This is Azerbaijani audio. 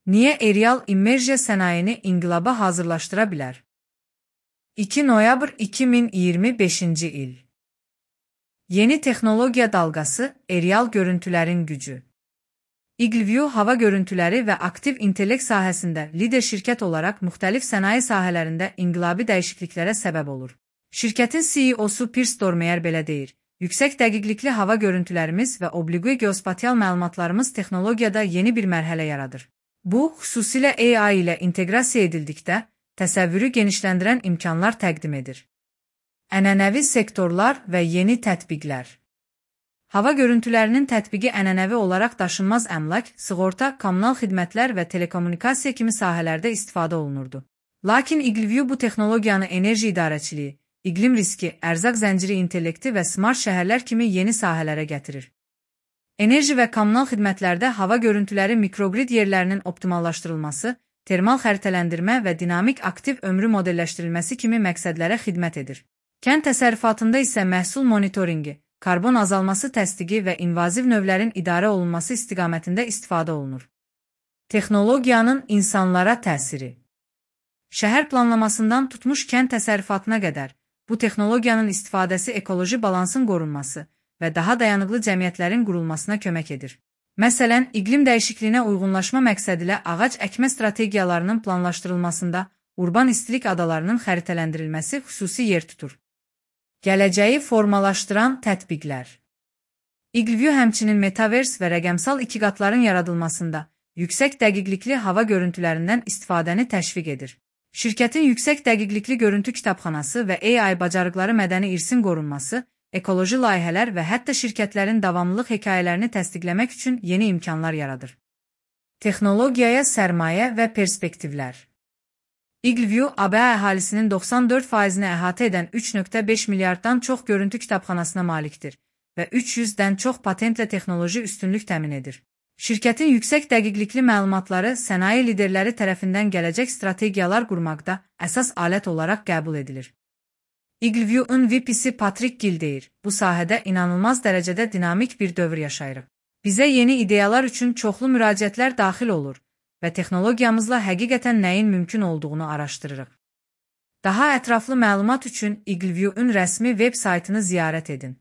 Niye Ereal İmmersiya sənayeni inqilaba hazırlaşdıra bilər? 2 noyabr 2025 il. Yeni texnologiya dalğası, Ereal görüntülərin gücü. EagleView hava görüntüləri və aktiv intellekt sahəsində lider şirkət olaraq müxtəlif sənaye sahələrində inqilabi dəyişikliklərə səbəb olur. Şirkətin CEO-su Piers Dormeyer belə deyir: "Yüksək dəqiqlikli hava görüntülərimiz və obliqui geospatial məlumatlarımız texnologiyada yeni bir mərhələ yaradır. Bu, xüsusilə AI ilə inteqrasiya edildikdə, təsəvvürü genişləndirən imkanlar təqdim edir." Ənənəvi sektorlar və yeni tətbiqlər. Hava görüntülərinin tətbiqi ənənəvi olaraq daşınmaz əmlak, sığorta, kommunal xidmətlər və telekommunikasiya kimi sahələrdə istifadə olunurdu. Lakin EagleView bu texnologiyanı enerji idarəçiliyi, iqlim riski, ərzaq zənciri intellekti və smart şəhərlər kimi yeni sahələrə gətirir. Enerji və kommunal xidmətlərdə hava görüntüləri mikrogrid yerlərinin optimallaşdırılması, termal xəritələndirmə və dinamik aktiv ömrü modelləşdirilməsi kimi məqsədlərə xidmət edir. Kənd təsərrüfatında isə məhsul monitoringi, karbon azalması təsdiqi və invaziv növlərin idarə olunması istiqamətində istifadə olunur. Texnologiyanın insanlara təsiri. Şəhər planlamasından tutmuş kənd təsərrüfatına qədər, bu texnologiyanın istifadəsi ekoloji balansın qorunması və daha dayanıqlı cəmiyyətlərin qurulmasına kömək edir. Məsələn, iqlim dəyişikliyinə uyğunlaşma məqsədilə ağac əkmə strategiyalarının planlaşdırılmasında urban istilik adalarının xəritələndirilməsi xüsusi yer tutur. Gələcəyi formalaşdıran tətbiqlər. EagleView həmçinin Metaverse və rəqəmsal ikiqatların yaradılmasında yüksək dəqiqlikli hava görüntülərindən istifadəni təşviq edir. Şirkətin yüksək dəqiqlikli görüntü kitabxanası və AI bacarıqları mədəni irsin qorunması, ekoloji layihələr və hətta şirkətlərin davamlılıq hekayələrini təsdiqləmək üçün yeni imkanlar yaradır. Texnologiyaya sərmayə və perspektivlər. EagleView ABŞ əhalisinin 94%-ni əhatə edən 3,5 milyarddan çox görüntü kitabxanasına malikdir və 300-dən çox patentlə texnoloji üstünlük təmin edir. Şirkətin yüksək dəqiqlikli məlumatları sənaye liderləri tərəfindən gələcək strategiyalar qurmaqda əsas alət olaraq qəbul edilir. EagleView-un VP-si Patrick Gill deyir: "Bu sahədə inanılmaz dərəcədə dinamik bir dövr yaşayırıq. Bizə yeni ideyalar üçün çoxlu müraciətlər daxil olur və texnologiyamızla həqiqətən nəyin mümkün olduğunu araşdırırıq." Daha ətraflı məlumat üçün EagleView-un rəsmi veb saytını ziyarət edin.